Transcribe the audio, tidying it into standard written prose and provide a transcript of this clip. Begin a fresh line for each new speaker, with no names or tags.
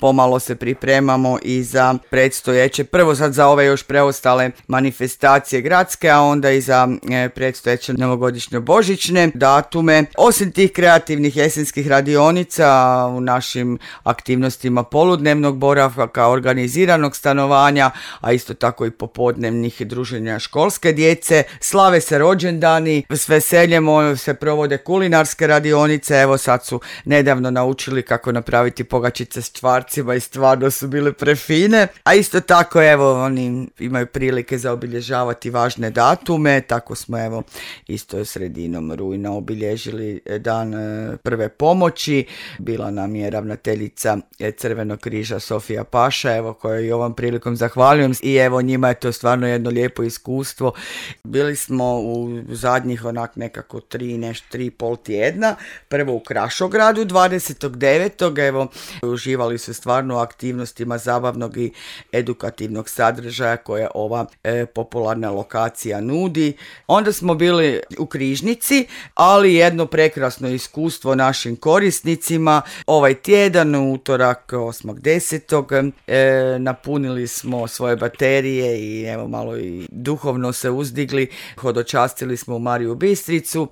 pomalo se pripremamo i za predstojeće, prvo sad za ove još preostale manifestacije gradske, a onda i za predstojeće novogodišnje božićne datume. Osim tih kreativnih jesenskih radionica u našim aktivnostima poludnevnog boravka, organiziranog stanovanja, a isto tako i popodnevnih druženja školske djece, slave se rođendani, s veseljem se provode kulinarske radionice. Evo sad su nedavno naučili kako napraviti pogačice s čvarcima i stvarno su bile prefine. A isto tako evo oni imaju prilike za obilježavati važne datume, tako smo evo isto sredinom rujna obilježili dan prve pomoći. Bila nam je ravnateljica Crvenog križa Sofija Paša, evo kojoj i ovom prilikom zahvaljujem, i evo njima je to stvarno jedno lijepo iskustvo. Bili smo u zadnjih onak nekako 3,5 tjedna, prvo u Krašogradu 29. evo uživali su stvarno u aktivnostima zabavnog i edukativnog sadržaja koje ova popularna lokacija nudi. Onda smo bili u Križnici, ali jedno prekrasno iskustvo našim korisnicima. Ovaj tjedan, utorak 8.10. napunili smo svoje baterije i evo malo i duhovno se uzdigli. Hodočastili smo u Mariju Bistricu.